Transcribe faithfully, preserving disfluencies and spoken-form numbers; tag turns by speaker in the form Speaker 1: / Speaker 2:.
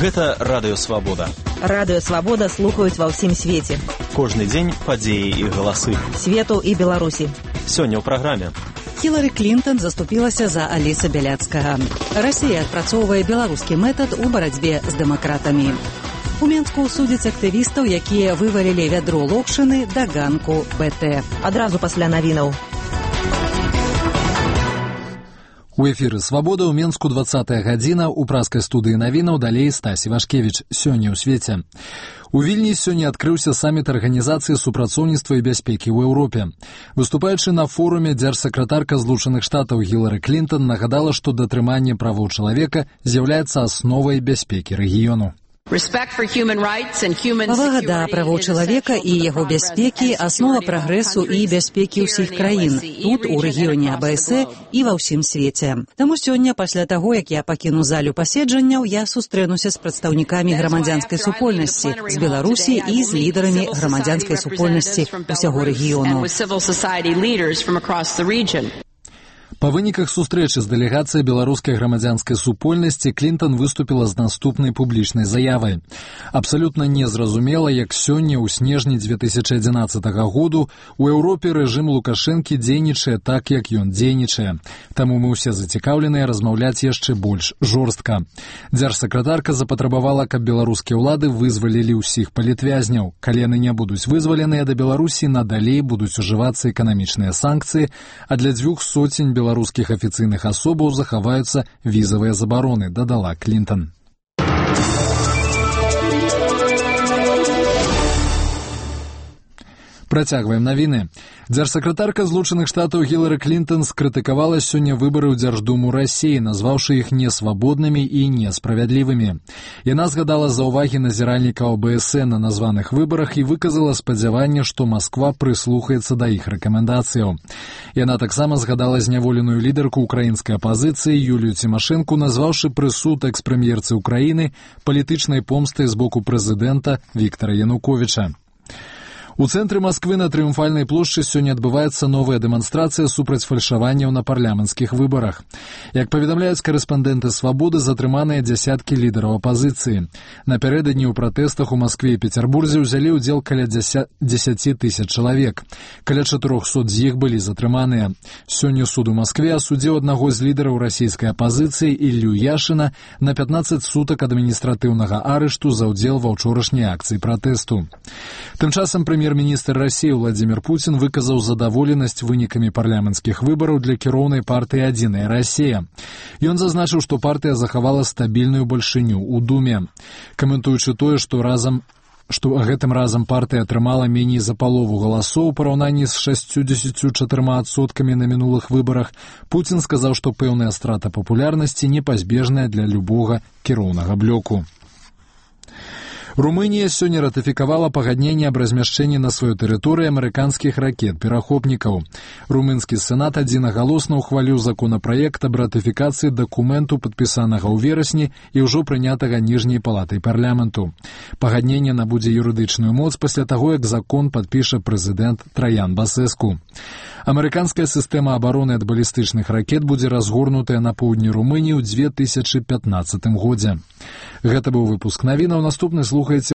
Speaker 1: Гэта Радыё Свабода.
Speaker 2: Радыё Свабода слухаюць ва ўсім свеце.
Speaker 1: Кожны дзень падзеі і галасы.
Speaker 2: Свету і Беларусі.
Speaker 1: Сёння ў праграме.
Speaker 3: Хілары Клінтон заступілася за Аліса Бяляцкага. Расія адпрацоўвае беларускі метад у барацьбе з дэмакратамі. У Менску судзяць актывістаў, якія вывалілі вядро локшыны да ганку БТ.
Speaker 2: Адразу пасля навінаў.
Speaker 4: У эфіры «Свабода» ў Менску двадцатая гадзіна, у праскай студыі навінаў далей Стась Івашкевіч. Сёння ў свеце. У Вільні сёння адкрыўся саміт Арганізацыі супрацоўніцтва і бяспекі ў Еўропе. Выступаючы на форуме, дзяржсакратарка Злучаных Штатаў Хілары Клінтон нагадала, што датрыманне правоў чалавека з'яўляецца асновай бяспекі рэгіёну.
Speaker 3: Павага да правоў чалавека і яго бяспекі – аснова прагрэсу і бяспекі ўсіх краін, тут, у рэгіёне АБС і ва ўсім свеце. Таму сёння, пасля таго, як я пакіну залю паседжанняў, я сустрэнуся з прадстаўнікамі грамадзянскай супольнасці, з Беларусі і з лідарамі грамадзянскай супольнасці ўсяго рэгіёну.
Speaker 4: Па выніках сустрэчы з дэлегацыяй беларускай грамадзянскай супольнасці Клінтон выступіла з наступнай публічнай заявай. Абсалютна незразумела, як сёння ў снежні дзве тысячы адзінаццатага году у Еўропе рэжым Лукашэнкі дзейнічае так, як ён дзейнічае. Таму мы ўсе зацікаўленыя размаўляць яшчэ больш жорстка. Дзяржсакратарка запатрабавала, каб беларускія ўлады вызвалілі ўсіх палітвязняў. Калі яны не будуць вызваленыя, да Беларусі надалей будуць ужывацца эканамічныя санкцыі, а для дзвюх соцень беларускіх беларускіх афіцыйных асобаў захаваюцца візавыя забароны, дадала Клінтон. Працягваем навіны. Дзяржсакратарка Злучаных Штатаў Хілары Клінтон скрытыкавала сёння выбары ў Дзярждуму Расіі, назваўшы іх несвабоднымі і несправядлівымі. Яна згадала заўвагі назіральнікаў АБС на названых выбарах і выказала спадзяванне, што Масква прыслухаецца да іх рэкамендацыяў. Яна таксама згадала зняволеную лідарку украінскай апазіцыі Юлію Цімашэнку, назваўшы прысуд экс-прэм'ерцы Украіны палітычнай помстай з боку прэзідэнта Віктара Януковіча. У цэнтры Масквы на Трыумфальнай плошчы сёння адбываецца новая дэманстрацыя супраць фальшаванняў на парламенцкіх выбарах. Як паведамляюць карэспандэнты «Свабоды», затрыманыя дзясяткі лідараў апазіцыі. Напярэдадні ў пратэстах у Маскве і Пецярбурзе ўзялі ўдзел каля дзесяці тысяч чалавек. Каля чатырохсот з іх былі затрыманыя. Сёння суд у Маскве асудзіў аднаго з лідараў расійскай апазіцыі Іллю Яшына на пятнаццаць сутак адміністратыўнага арышту за ўдзел ва ўчорашняй акцыі пратэсту. Тым часам прэм'ер-міністр Расіі Владзімір Пуцін выказаў задаволенасць вынікамі парламенцкіх выбараў для кіроўнай партыі «Адзіная Расія». Ён зазначыў, што партыя захавала стабільную бальшыню ў Думе. Каментуючы тое, што разам што гэтым разам партыя атрымала меней за палову галасоў у параўнанні з шасцюдзесяцю чатырма адсоткамі на мінулых выбарах, Пуцін сказаў, што пэўная страта папулярнасці непазбежная для любога кіроўнага блоку. Румынія сёння ратыфікавала пагадненне аб размяшчэнні на сваёй тэрыторыі амерыканскіх ракет-перахопнікаў. Румынскі сенат адзінагалосна ўхваліў законапраект аб ратыфікацыі дакументу, падпісанага ў верасні і ўжо прынятага ніжняй палатай парламенту. Пагадненне набудзе юрыдычную моц пасля таго, як закон падпіша прэзідэнт Траян Басэску. Амерыканская сістэма абароны ад балістычных ракет будзе разгорнутая на поўдні Румыніі ў дзве тысячы пятнаццатым годзе. Гэта быў выпуск навінаў. Наступны слухаеце